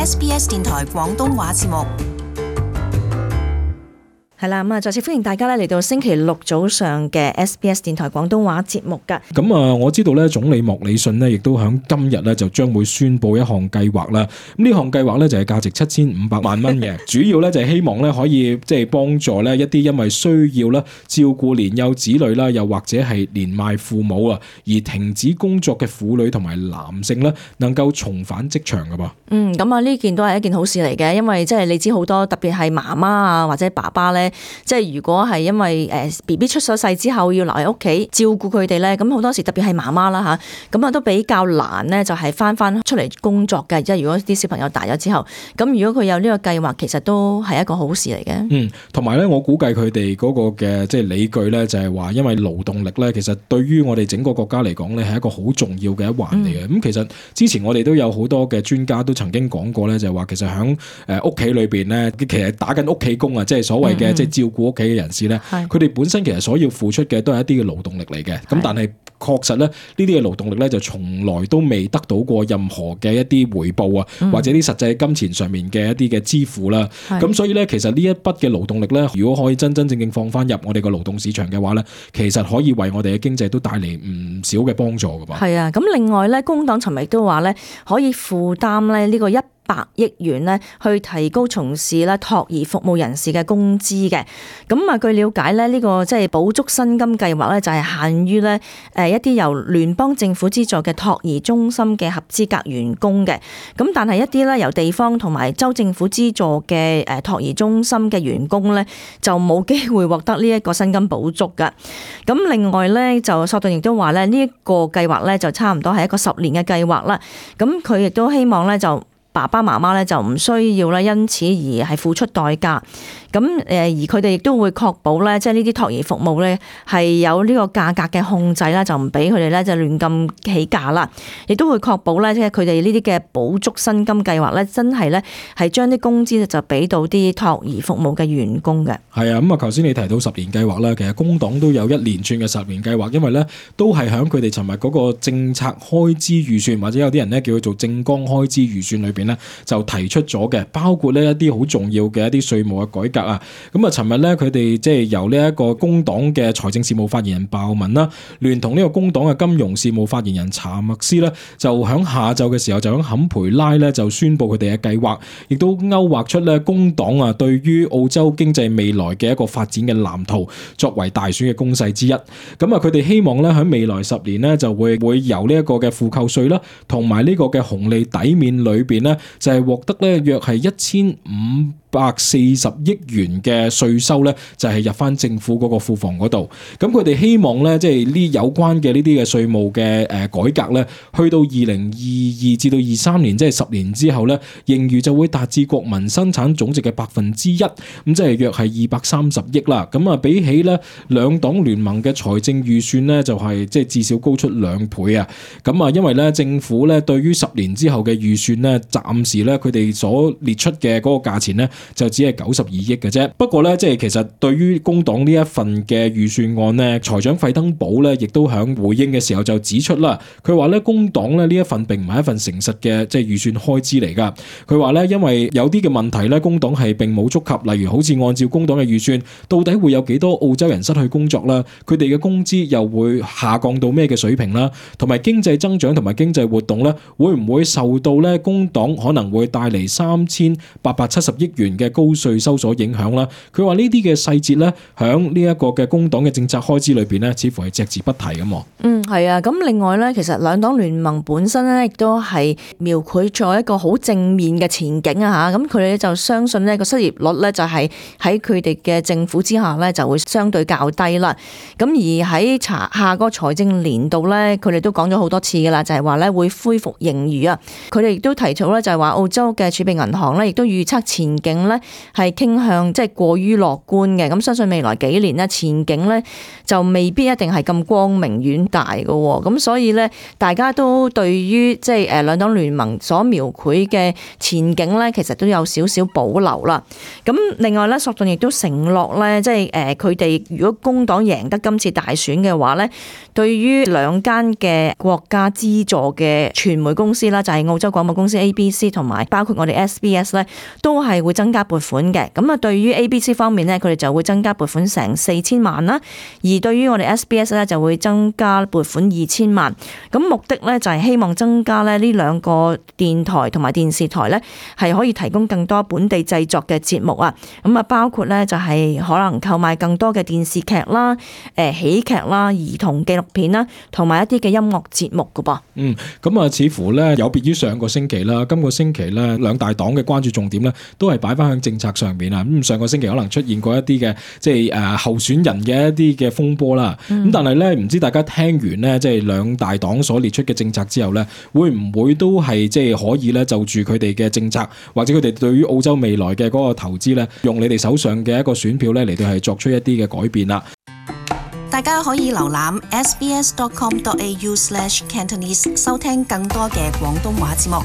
SBS 電台廣東話節目。係啦，咁啊，再次歡迎大家咧嚟到星期六早上嘅 SBS 電台廣東話節目噶。咁啊，我知道咧，總理莫里遜呢亦都響今日咧就將會宣布一項計劃啦。咁呢項計劃咧就係價值7500萬蚊嘅，主要咧就係希望咧可以即係幫助咧一啲因為需要咧照顧年幼子女啦，又或者係年邁父母啊而停止工作嘅婦女同埋男性咧，能夠重返職場噶噃。咁啊呢件都係一件好事嚟嘅，因為即係你知好多特別係媽媽啊或者爸爸咧。即係如果係因為BB 出咗世之後要留喺屋企照顧佢哋咧，咁好多時特別係媽媽啦嚇，咁啊都比較難咧，就係翻出嚟工作嘅。即係如果啲小朋友大咗之後，咁如果佢有呢個計劃，其實都係一個好事嚟嘅。同埋咧，我估計佢哋嗰個嘅即係理據咧，就係話因為勞動力咧，其實對於我哋整個國家嚟講咧，係一個好重要嘅一環嚟嘅。咁其實之前我哋都有好多嘅專家都曾經講過咧，就係話其實喺屋企裏邊咧，其實打緊屋企工啊，即係所謂嘅即係照顧屋企嘅人士咧，佢哋本身其實所要付出嘅都係一啲嘅勞動力嚟嘅。咁但係確實咧，呢啲嘅勞動力咧就從來都未得到過任何嘅一啲回報啊，或者啲實際金錢上面嘅一啲嘅支付啦。咁所以咧，其實呢一筆嘅勞動力咧，如果可以真正放翻入我哋個勞動市場嘅話咧，其實可以為我哋嘅經濟都帶嚟唔少嘅幫助噶噃。係啊，咁另外咧，工黨尋日都話咧，可以負擔咧呢個100億元咧，去提高從事咧托兒服務人士嘅工資嘅。咁啊，據了解咧，呢個即係補足薪金計劃咧，就係限於咧一啲由聯邦政府資助嘅托兒中心嘅合資格員工嘅。咁但係一啲咧由地方同埋州政府資助嘅托兒中心嘅員工咧，就冇機會獲得呢一個薪金補足㗎。咁另外咧，就索頓亦都話咧，呢一個計劃咧就差唔多係一個10年嘅計劃啦。咁佢亦都希望咧就爸爸媽媽咧就唔需要咧因此而係付出代價。咁而佢哋亦都會確保咧，即係呢啲托兒服務咧係有呢個價格嘅控制啦，就唔俾佢哋咧就亂咁起價啦。亦都會確保咧，即係佢哋呢啲嘅補足薪金計劃咧，真係咧係將啲工資就俾到啲托兒服務嘅員工嘅。係啊，咁啊，頭先你提到10年計劃啦，其實工黨都有一連串嘅10年計劃，因為咧都係喺佢哋尋日嗰個政策開支預算，或者有啲人咧叫佢做政綱開支預算裏邊咧就提出咗嘅，包括呢一啲好重要嘅一啲稅務嘅改革啊。咁啊，尋日咧佢哋即係由呢一個工黨嘅財政事務發言人鮑文啦，聯同呢個工黨嘅金融事務發言人查默斯咧，就喺下晝嘅時候就喺坎培拉咧就宣布佢哋嘅計劃，亦都勾畫出咧工黨啊對於澳洲經濟未來嘅一個發展嘅藍圖，作為大選嘅攻勢之一。咁啊，佢哋希望咧喺未來10年咧就會由呢一個嘅負扣稅啦，同埋呢個嘅紅利抵免裏邊咧，就係獲得咧約係1540億元嘅稅收咧，就係入翻政府嗰個庫房嗰度。咁佢哋希望咧，即係呢有關嘅呢啲嘅稅務嘅改革咧，去到2022至到23年，即係10年之後咧，盈餘就會達至國民生產總值嘅1%，咁即係約係230億啦。咁啊，比起咧兩黨聯盟嘅財政預算咧，就係即係至少高出2倍啊。咁啊，因為咧政府咧對於10年之後嘅預算咧，暫時咧佢哋所列出嘅嗰個價錢咧，就只係92億嘅啫。不過咧，即係其實對於工黨呢一份嘅預算案咧，財長費登堡咧，亦都響回應嘅時候就指出啦，佢話咧工黨咧呢一份並唔係一份誠實嘅即係預算開支嚟噶。佢話咧，因為有啲嘅問題咧，工黨係並冇觸及，例如好似按照工黨嘅預算，到底會有幾多澳洲人失去工作啦？佢哋嘅工資又會下降到咩嘅水平啦？同埋經濟增長同埋經濟活動咧，會唔會受到咧工黨可能會帶嚟3870億元嘅高稅收所影響啦？佢話呢啲嘅細節咧，響呢一個嘅工黨嘅政策開支裏邊咧，似乎係隻字不提咁。係啊，咁另外咧，其實兩黨聯盟本身咧，亦都係描繪咗一個好正面嘅前景啊嚇。咁佢哋就相信呢個失業率咧，就係喺佢哋嘅政府之下咧，就會相對較低啦。咁而喺下個財政年度咧，佢哋都講咗好多次噶啦，就係話咧會恢復盈餘啊。佢哋亦都提出咧，就係話澳洲嘅儲備銀行咧，亦都預測前景景咧係傾向即係過於樂觀嘅，咁相信未來幾年咧前景咧就未必一定係咁光明遠大嘅，咁所以咧大家都對於即係兩黨聯盟所描繪嘅前景咧，其實都有少少保留啦。咁另外咧，索頓亦都承諾咧，即係佢哋如果工黨贏得今次大選嘅話咧，對於兩間嘅國家資助嘅傳媒公司啦，就係澳洲廣播公司 ABC 同埋包括我哋 SBS 咧，都係會增加撥款嘅。咁啊，對於 ABC 方面咧，佢哋就會增加撥款成4000萬啦，而對於我哋 SBS 咧就會增加撥款2000萬。咁目的咧就係希望增加咧呢兩個電台同埋電視台咧係可以提供更多本地製作嘅節目啊。咁啊，包括咧就係可能購買更多嘅電視劇啦、喜劇啦、兒童紀錄片啦，同埋一啲嘅音樂節目噶噃。咁啊，似乎咧有別於上個星期啦，今個星期咧兩大黨嘅關注重點咧都係擺翻喺政策上面啊。咁上個星期可能出現過一啲嘅即係候選人嘅一啲嘅風波啦。咁但係咧唔知大家聽完咧即係兩大黨所列出嘅政策之後咧，會唔會都係即係可以咧就住佢哋嘅政策或者佢哋對於澳洲未來嘅嗰個投資咧，用你哋手上嘅一個選票咧嚟到係作出一啲嘅改變啦。大家可以瀏覽 sbs.com.au/cantonese 收聽更多嘅廣東話節目。